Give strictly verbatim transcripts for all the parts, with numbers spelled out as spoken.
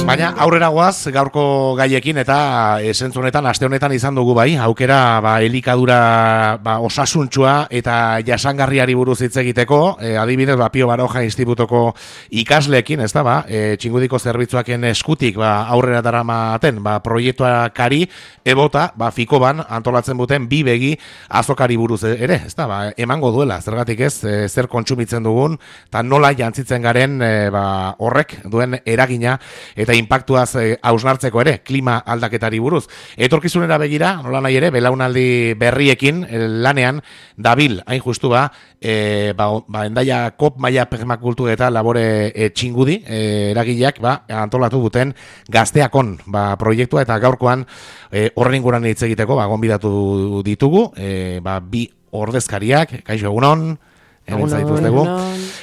Baina aurrera goaz gaurko gaiekin eta esentzu honetan, aste honetan izan dugu bai, aukera ba, elikadura ba, osasuntsua eta jasangarriari buruz hitz egiteko, e, adibidez ba, Pio Baroja Institutoko ikasleekin, ez da, ba, e, Txingudiko zerbitzuaken eskutik ba, aurrera daramaten ba, proiektuakari ebota, ba, Fikoban antolatzen duten bi begi azokari buruz ere, ez da, ba, emango duela, zergatik ez, e, zer kontsumitzen dugun, eta nola jantzitzen garen e, ba, horrek duen eragina eta inpaktuaz hausnartzeko ere, klima aldaketari buruz. Etorkizunera begira, nola nahi ere, belaunaldi berriekin lanean dabil, hain justu ba, e, ba, ba endaia kop maia permakultu eta labore e, txingudi, e, eragileak ba, antolatu duten gazteakon ba, proiektua eta gaurkoan e, horren inguruan hitz egiteko ba, gonbidatu ditugu, e, ba, bi ordezkariak, kaixo egunon,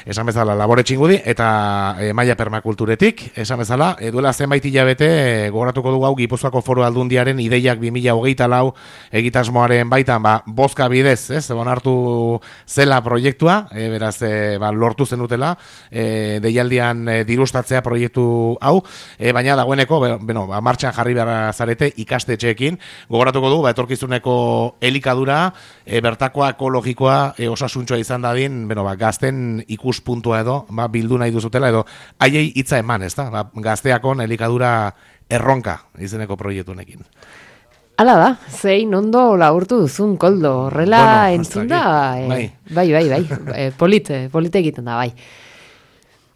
esan bezala labore txingudi eta e, maia permakulturetik, esan bezala e, duela zenbait hilabete e, gogoratuko dugu hau Gipuzkoako Foru Aldundiaren ideiak bi mila hogeita lau egitasmoaren baitan ba, bozka bidez, ez, onartu zela proiektua, e, beraz e, ba, lortu zenutela e, deialdian e, dirustatzea proiektu hau, e, baina dagoeneko bueno, ba, martxan jarri behar zarete ikastetxeekin, gogoratuko dugu ba, etorkizuneko elikadura e, bertakoa ekologikoa e, osasuntxoa izan dadin Beno, ba, gazten ikuspuntua edo ba, bildu nahi duzutela edo haiei hitza eman, ez da? Ba, gazteakon elikadura erronka izeneko proiektunekin. Hala da, zein ondo laburtu duzun, Koldo, horrela bueno, entzun da, e, bai, bai, bai, bai, e, polit, polit egiten da, bai.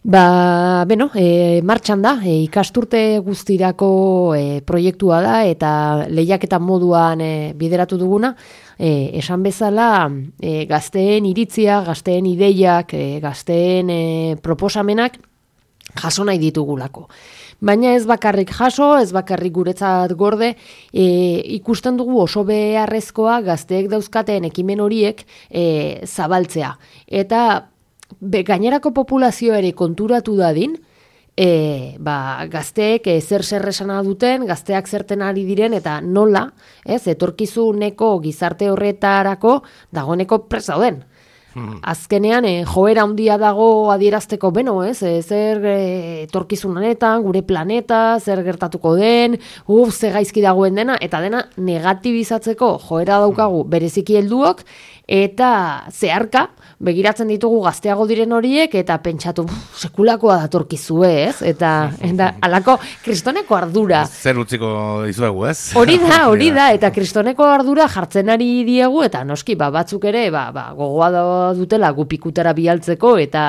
Ba, beno, e, martxan da, e, ikasturte guztirako e, proiektua da eta lehiaketa moduan e, bideratu duguna, e, esan bezala e, gazteen iritzia, gazteen ideiak, e, gazteen e, proposamenak jaso nahi ditugulako. Baina ez bakarrik jaso, ez bakarrik guretzat gorde, e, ikusten dugu oso beharrezkoa gazteek dauzkateen ekimen horiek e, zabaltzea. Eta Be, gainerako populazioa ere konturatu dadin, e, ba, gazteek e, zer zer esana duten, gazteak zerten ari diren, eta nola, ez, etorkizuneko gizarte horretarako dagoeneko prest dauden. Hmm. Azkenean, e, joera handia dago adierazteko beno, ez, e, zer e, etorkizun honetan, gure planeta, zer gertatuko den, uf, ze gaizki dagoen dena, eta dena negatibizatzeko joera daukagu bereziki helduok, eta zeharka, begiratzen ditugu gazteago diren horiek, eta pentsatu, sekulakoa datorkizue, ez? Eta, eta alako kristoneko ardura. Zer utziko dizuegu, ez? Hori da, hori da, eta kristoneko ardura jartzen ari diegu, eta noski, ba, batzuk ere, ba, ba, gogoa dutela gupikutara bialtzeko, eta,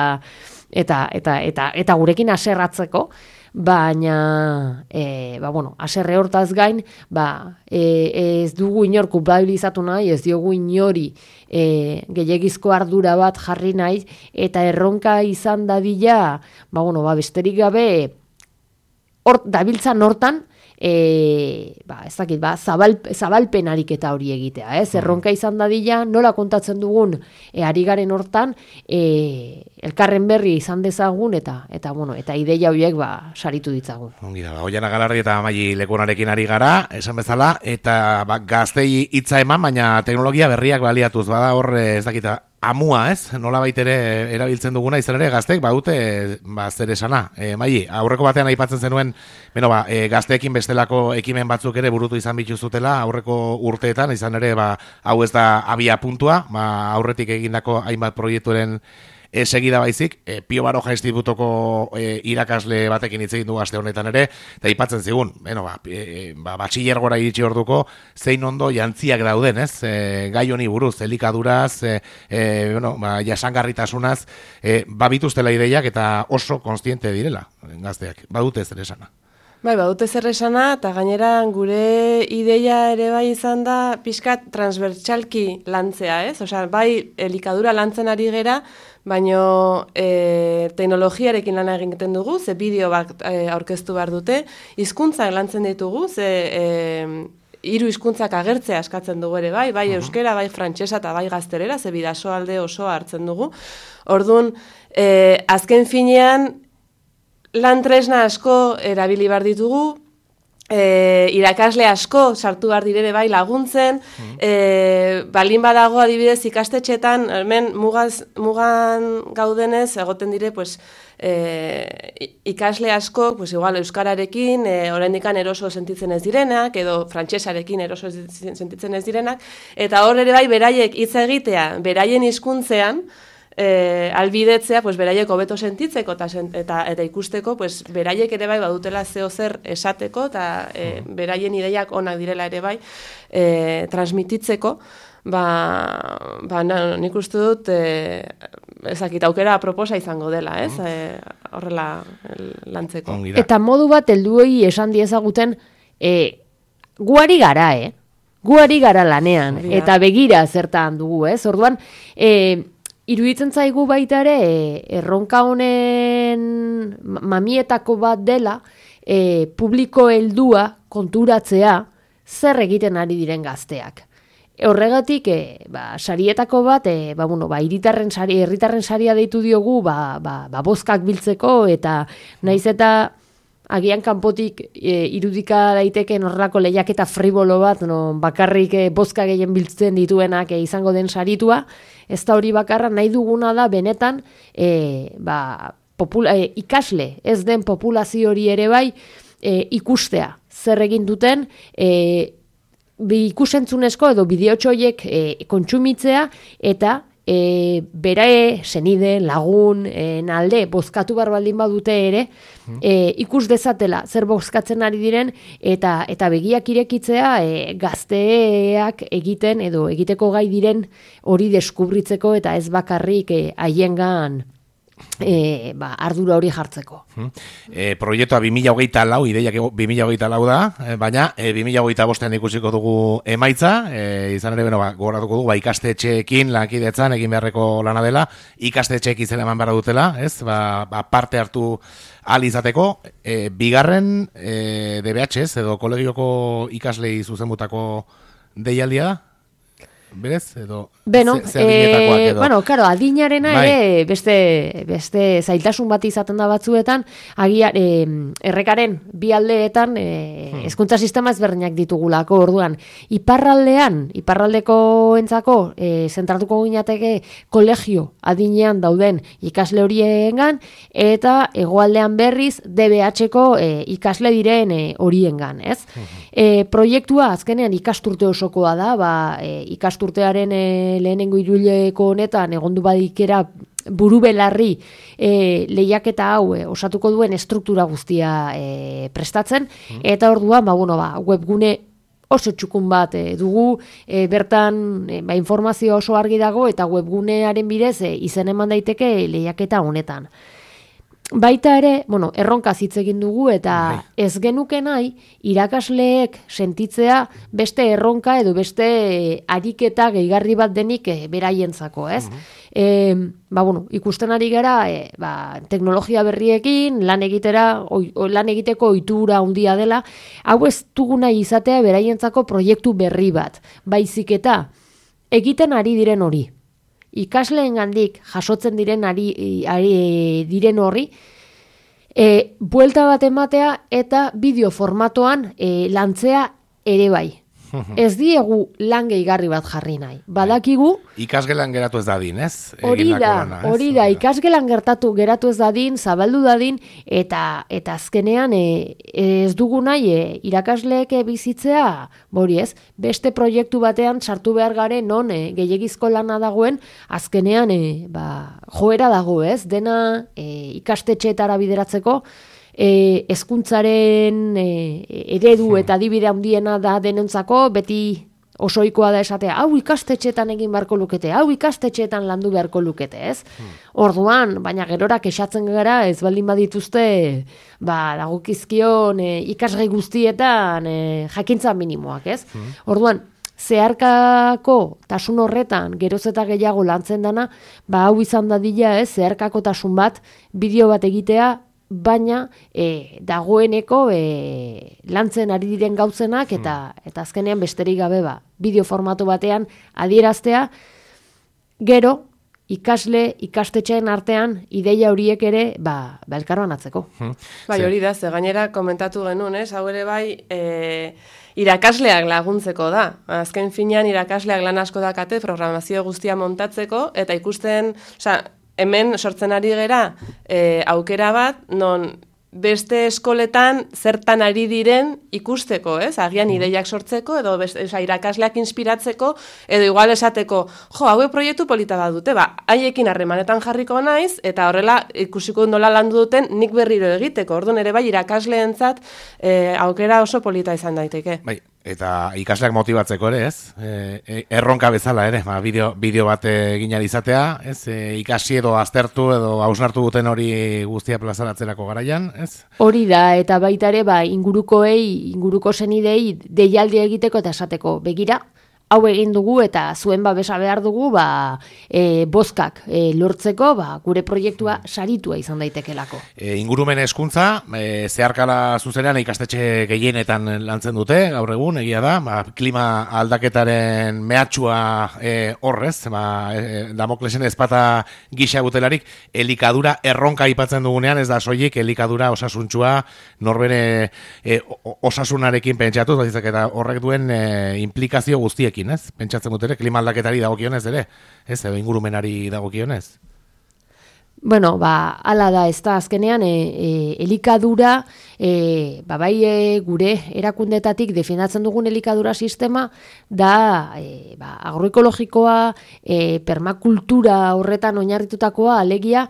eta, eta, eta, eta gurekin aserratzeko, baina, e, ba, bueno, aserre hortaz gain, ba, e, ez dugu inor kulpabilizatu nahi, ez diogu inori e, gehiagizko ardura bat jarri nahi, eta erronka izan dadila, ba, bueno, ba, besterik gabe, hor, dabiltzan hortan, E, ba, ez dakit, ba, zabal, zabalpen ariketa hori egitea, ez? Erronka izan dadila, nola kontatzen dugun e, ari garen hortan, e, elkarren berri izan dezagun, eta, eta, bueno, eta ideia horiek ba, saritu ditzagun. Ongi da, ba, Oiana Galardi eta Maili Lekunarekin ari gara, esan bezala, eta ba, gaztei hitza eman, baina teknologia berriak baliatuz, bada hor, ez dakita, amua, ez? Nola baitere erabiltzen duguna izan ere gazteek badute ba, zer esana. E, Maili, aurreko batean aipatzen zenuen, beno, ba, e, gazteekin bestelako ekimen batzuk ere burutu izan bituzutela aurreko urteetan, izan ere, ba, hau ez da abia puntua, ba, aurretik egindako hainbat proiekturen E, segida baizik, e, Pio Baroja Institutoko e, irakasle batekin hitz egin du aste honetan ere, eta aipatzen zigun, bueno, ba, e, ba, batxilergora iritsi orduko, zein ondo jantziak dauden, ez? E, gai honi buruz, elikaduraz, e, e, bueno, ba, jasangarritasunaz, e, babituztela ideiak eta oso konstiente direla, gazteak, badute zer esana. Bai, badute zer esana, eta gainera gure ideia ere bai izan da pixkat transbertsalki lantzea, ez? Osea, bai elikadura lantzen ari gera, baina e, teknologiarekin lan egiten dugu, ze bideo bat e, aurkeztu behar dute, hizkuntzak lantzen ditugu, ze e, hiru hizkuntzak agertzea eskatzen dugu ere bai, bai euskera, bai frantsesa eta bai gaztelera, ze bidasoalde osoa hartzen dugu. Orduan, e, azken finean, lan tresna asko erabili behar ditugu, e, irakasle asko sartu behar direre bai laguntzen, mm. e, balin badago adibidez ikastetxetan, hemen mugaz, mugan gaudenez, egoten dire, pues, e, ikasle asko, pues igual euskararekin e, oraindikan eroso sentitzen ez direnak, edo frantsesarekin eroso sentitzen ez direnak, eta hor ere bai beraiek hitz egitea, beraien hizkuntzean, E, albidetzea, pues, beraiek hobeto sentitzeko eta, eta, eta ikusteko, pues, beraiek ere bai badutela zeo zer esateko eta e, beraien ideiak onak direla ere bai e, transmititzeko, ba, ba na, nik uste dut e, ezakit aukera proposa izango dela, ez? E, horrela lantzeko. Eta modu bat helduei esan diezaguten e, guari gara, eh? Guari gara lanean, ja. Eta begira zertan dugu, ez? Orduan, e, iruditzen zaigu baita ere, erronka honen mamietako bat dela, e, publiko heldua konturatzea zer egiten ari diren gazteak. Horregatik, e, ba, sarietako bat, e, ba, bueno, ba, hiritarren sari, herritarren saria deitu diogu, ba, ba, ba, bozkak biltzeko, eta naiz eta agian kanpotik e, irudika daiteken horrelako lehiaketa fribolo bat, no, bakarrik e, bozka gehien biltzen dituenak e, izango den saritua, ez da hori bakarra, nahi duguna da benetan e, ba, popula, e, ikasle ez den populazio hori ere bai e, ikustea, zer egin duten, e, bi ikusentzunezko edo bideotxoiek e, kontsumitzea eta E, bere senide, lagun, e, nalde, bozkatu bar baldin badute ere, e, ikus dezatela zer bozkatzen ari diren eta eta begiak irekitzea e, gazteak egiten edo egiteko gai diren hori deskubritzeko eta ez bakarrik e, haiengan E, ba, ardura hori jartzeko. E, proiektua bi mila hogeita lau, ideiak bi mila hogeita lau da, e, baina e, bi mila hogeita bostean ikusiko dugu emaitza, e, izan ere, bueno, ba, gogoratuko dugu, ba, ikastetxeekin lankidetzan egin beharreko lana dela, ikastetxeek izan eman behar dutela, ez, ba, ba, parte hartu ahal izateko, e, bigarren e, D B H ez, edo kolegioko ikaslei zuzenbutako deialdia da? Berez, edo Beno, ze, ze e, edo. Bueno, claro, adinarena bai. Ere beste, beste zailtasun bat izaten da batzuetan, agian e, errekaren bi aldeetan e, hmm. hezkuntza sistema ezberdinak ditugulako, orduan iparraldean, iparraldeko entzako e, zentratuko ginateke kolegio adinean dauden ikasle horiengan eta hegoaldean berriz D B H-ko e, ikasle diren e, horiengan, ez? Hmm. E, proiektua azkenean ikasturte osokoa da, ba, e, ikasturtearen e, lehenengo hiruileko honetan egondu badikera buru belarri e, lehiaketa hau e, osatuko duen estruktura guztia e, prestatzen, mm. eta orduan ba, bueno, ba, webgune oso txukun bat e, dugu, e, bertan e, ba, informazio oso argi dago eta webgunearen bidez e, izen eman daiteke lehiaketa honetan. Baita ere, bueno, erronka hitz egin dugu eta bai. Ez genuke nahi irakasleek sentitzea beste erronka edo beste ariketa gehigarri bat denik e, beraientzako, ez? Uh-huh. E, ba, bueno, ikusten ari gara, e, ba, teknologia berriekin lan egitera, oi, lan egiteko ohitura handia dela, hau ez dugu nahi izatea beraientzako proiektu berri bat, baizik eta egiten ari diren hori. Ikasleengandik jasotzen diren ari, ari diren horri, e, buelta bat ematea eta bideo formatoan e, lantzea ere bai. Ez diegu lan gehigarri bat jarri nahi. Badakigu... Ikasgelan geratu ez dadin, ez? Hori da, hori da. Ikasgelan gertatu geratu ez dadin, zabaldu dadin, eta eta azkenean e, ez dugu nahi e, irakasleek bizitzea, bori ez, beste proiektu batean sartu behar garen non e, gehiagizko lana dagoen, azkenean e, ba, joera dago, ez? Dena e, ikastetxeetara bideratzeko, E, hezkuntzaren e, eredu eta adibide handiena da denentzako, beti osoikoa da esatea, hau ikastetxeetan egin beharko lukete, hau ikastetxeetan landu beharko lukete, ez? Hmm. Orduan, baina gerora kexatzen gara, ez baldin badituzte, ba, dagokizkion e, ikasgai guztietan e, jakintza minimoak, ez? Hmm. Orduan, zeharkako tasun horretan geroz eta gehiago lantzen dana, ba, hau izan dadila, ez? Zeharkako tasun bat, bideo bat egitea, baina e, dagoeneko e, lantzen ari diren gauzenak eta hmm. eta azkenean besterik gabe ba, bideo formatu batean adieraztea, gero ikasle, ikastetxeen artean ideia horiek ere ba, ba elkarbanatzeko. Hmm. Bai, hori da, ze gainera komentatu genuen, ez? Hau ere bai, e, irakasleak laguntzeko da. Azken finean irakasleak lan asko dakate programazio guztia montatzeko eta ikusten, osea, hemen sortzen ari gera e, aukera bat, non beste eskoletan zertan ari diren ikusteko, ez? Agian ideiak sortzeko, edo beste, oza, irakasleak inspiratzeko, edo igual esateko, jo, haue proiektu polita bat dute, ba, haiekin harremanetan jarriko naiz, eta horrela ikusiko nola landu duten nik berriro egiteko. Orduan ere bai irakasleentzat e, aukera oso polita izan daiteke. Bai. Eta ikasleak motibatzeko ere, ez? E, erronka bezala ere, ba, bideo, bideo bat egin izatea, ez? E, ikasi edo aztertu edo hausnartu duten hori guztia plazaratzerako garaian, ez? Hori da, eta baita ere, ba, ingurukoei, inguruko zenidei deialdi egiteko eta esateko, begira, hau egin dugu eta zuen babesa behar dugu, ba, e, bozkak e, lortzeko, ba, gure proiektua saritua izan daitekelako. E, ingurumen hezkuntza, e, zeharkala zuzenean ikastetxe gehienetan lantzen dute, gaur egun, egia da, ba, klima aldaketaren mehatxua e, horrez, ba, e, Damoklesen ezpata gisa butelarik, elikadura erronka aipatzen dugunean, ez da soilik elikadura osasuntxua, norbere e, osasunarekin pentsatuz, eta horrek duen e, implikazio guztiekin. Ez? Pentsatzen dut ere, klima aldaketari dagokionez ere, ez, edo ingurumenari dagokionez. Bueno, ba, ala da, ez da, azkenean, e, e, elikadura, e, ba, bai e, gure erakundetatik defendatzen dugun elikadura sistema, da, e, ba, agroekologikoa, e, permakultura horretan oinarritutakoa, alegia,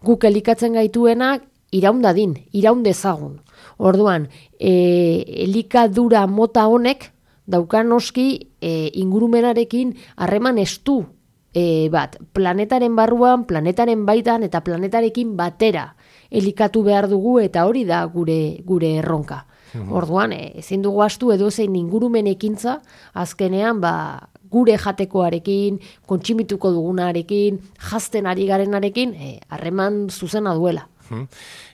guk elikatzen gaituenak, iraundadin, iraundezagun. Orduan, e, elikadura mota honek, daukan noski e, ingurumenarekin harreman estu e, bat, planetaren barruan, planetaren baitan eta planetarekin batera elikatu behar dugu eta hori da gure gure erronka. Uhum. Orduan, e, ezin dugu astu edo zein ingurumen ekintza, azkenean ba, gure jatekoarekin, kontsimituko dugunarekin, jazten ari garenarekin, harreman e, zuzena duela.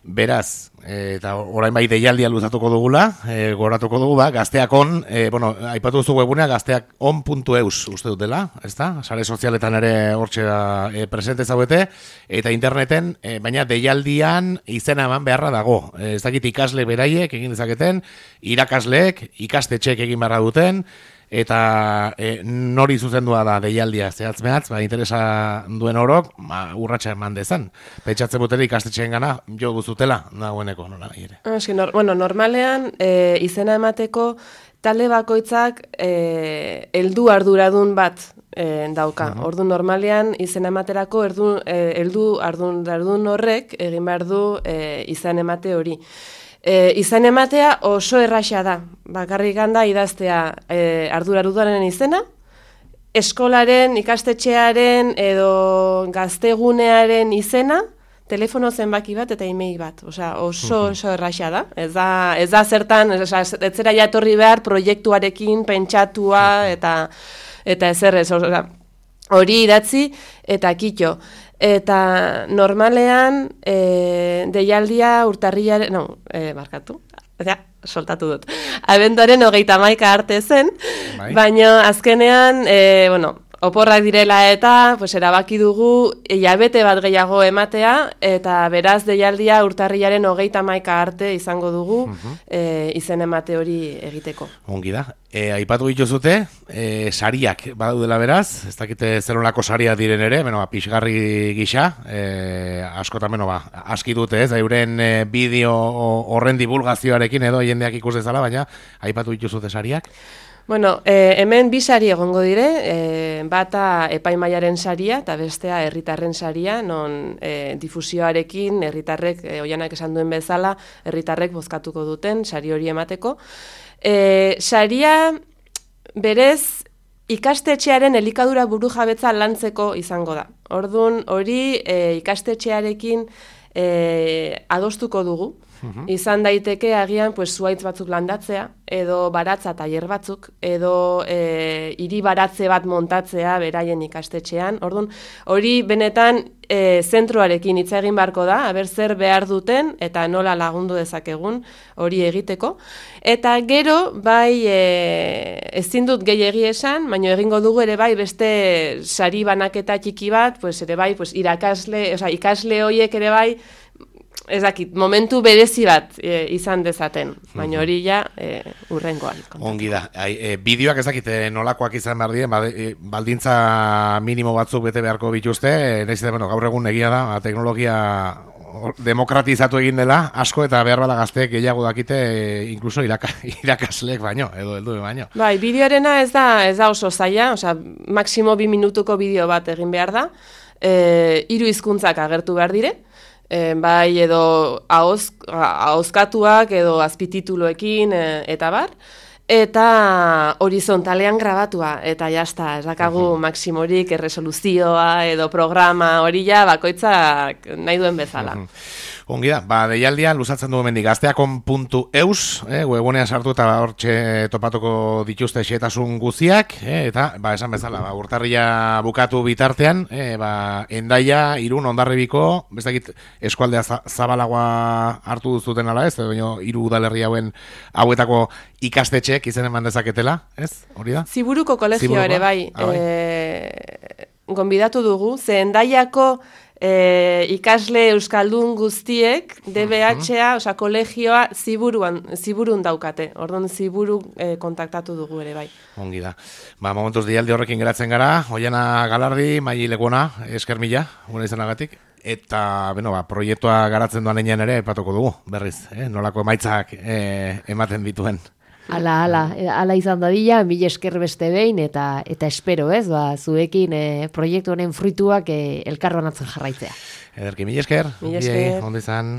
Beraz, e, eta orain bai deialdia luzatuko dugula, e, goratuko dugu, ba, gazteakon, e, bueno, aipatu duzu webunea, gazteakon puntu eus uste dutela, ez da? Sare sozialetan ere hortxe da e, presente zaudete, eta interneten, e, baina deialdian izena eman beharra dago. E, ez dakit ikasle beraiek egin dezaketen, irakasleek, ikastetxeek egin beharra duten, eta e, nori zuzendua da deialdia zehatz mehatz, ba, interesa duen orok, ba, urratxa eman dezan. Pentsatzen butela ikastetxeen gana, jo guztutela, nagoeneko, nola nahi ere. Eski, nor, bueno, normalean, e, izena emateko, talde bakoitzak e, heldu arduradun bat e, dauka. Uh-huh. Ordu normalean, izena ematerako, erdu, e, heldu arduradun horrek, egin behar du e, izan emate hori. E, izan ematea oso erraxa da. Bakarrik handa idaztea e, arduraruduaren izena, eskolaren, ikastetxearen edo gaztegunearen izena, telefono zenbaki bat eta email bat. Osea, oso oso erraxa da. Ez da, ez da zertan, ez zera jatorri behar proiektuarekin pentsatua eta eta ezer ez. Osea, hori idatzi eta kitxo. Eta normalean e, deialdia urtarrilaren, no, e, markatu, ja, soltatu dut. Abenduaren hogeita hamaika arte zen, bai. Baina azkenean, e, bueno, oporrak direla eta pues, erabaki dugu hilabete bat gehiago ematea, eta beraz deialdia urtarrilaren hogeita hamaika arte izango dugu uh-huh. e, izen emate hori egiteko. Ongi da. E, aipatu dituzute, e, sariak badaudela beraz, ez dakite zelonako saria diren ere, beno, ba, pixgarri gisa, e, askotan, beno, ba, aski dute ez, euren e, bideo horren divulgazioarekin edo jendeak ikus dezala, baina aipatu dituzute sariak? Bueno, eh, hemen bi sari egongo dire, eh, bata epaimaiaren saria eta bestea herritarren saria, non eh, difusioarekin herritarrek, eh, oianak esan duen bezala, herritarrek bozkatuko duten sari hori emateko. Eh, saria berez ikastetxearen elikadura burujabetza lantzeko izango da. Ordun hori eh, ikastetxearekin eh, adostuko dugu. Uh-huh. Izan daiteke agian pues, zuaitz batzuk landatzea, edo baratza tailer batzuk, edo e, hiri baratze bat montatzea beraien ikastetxean. Orduan, hori benetan e, zentroarekin hitz egin beharko da, aber zer behar duten eta nola lagundu dezakegun hori egiteko. Eta gero, bai, e, ezin dut gehiegi esan, baina egingo dugu ere bai beste sari banaketa txiki bat, pues, ere bai, pues, irakasle, oza, ikasle horiek ere bai, ez dakit, momentu berezi bat e, izan dezaten, baina hori ja e, urrengoan. Ongi da, Ai, e, bideoak ez dakit nolakoak izan behar diren, baldintza minimo batzuk bete beharko bituzte, nahiz eta, bueno, gaur egun egia da, teknologia demokratizatu egin dela, asko eta behar bada gazteek gehiago dakite, inkluso iraka, irakasleek baino, edo heldu baino. Bai, bideoarena ez da, ez da oso zaila, osea, maksimo bi minutuko bideo bat egin behar da, e, hiru hizkuntzak agertu behar dire, E, bai edo ahoz, ahozkatuak edo azpitituluekin e, eta bar, eta horizontalean grabatua, eta jazta, ez dakagu uh-huh. maksimorik erresoluzioa edo programa hori ja bakoitzak nahi duen bezala. Uh-huh. Ongi da, ba, deialdia luzatzen dugu mendik gazteakon puntu eus, eh, webunean sartu eta hortxe topatuko dituzte xetasun guziak, eh, eta, ba, esan bezala, ba, urtarria bukatu bitartean, eh, ba, Endaia, Irun, Hondarribiko, bestakit eskualdea zabalagoa hartu duzuten ala ez, baina hiru udalerri hauen hauetako ikastetxeek izen eman dezaketela, ez? Hori da? Ziburuko kolegio ere bai, ah, bai. E, gonbidatu dugu, ze Endaiako E, ikasle euskaldun guztiek D B H-a, osea kolegioa ziburuan, ziburun daukate. Orduan ziburu e, kontaktatu dugu ere bai. Ongi da. Ba, momentuz dialdi horrekin geratzen gara, Oiana Galardi, Maili Legona, esker mila, gure izanagatik. Eta, bueno, ba, proiektua garatzen duan einean ere epatuko dugu, berriz, eh? Nolako emaitzak eh, ematen dituen. Ala, ala, ala izan dadila, mila esker beste behin, eta eta espero, ez, ba, zuekin e, proiektu honen fruituak e, elkarronatzen jarraitzea. Ederki, mila esker. Mila esker. Ondo izan.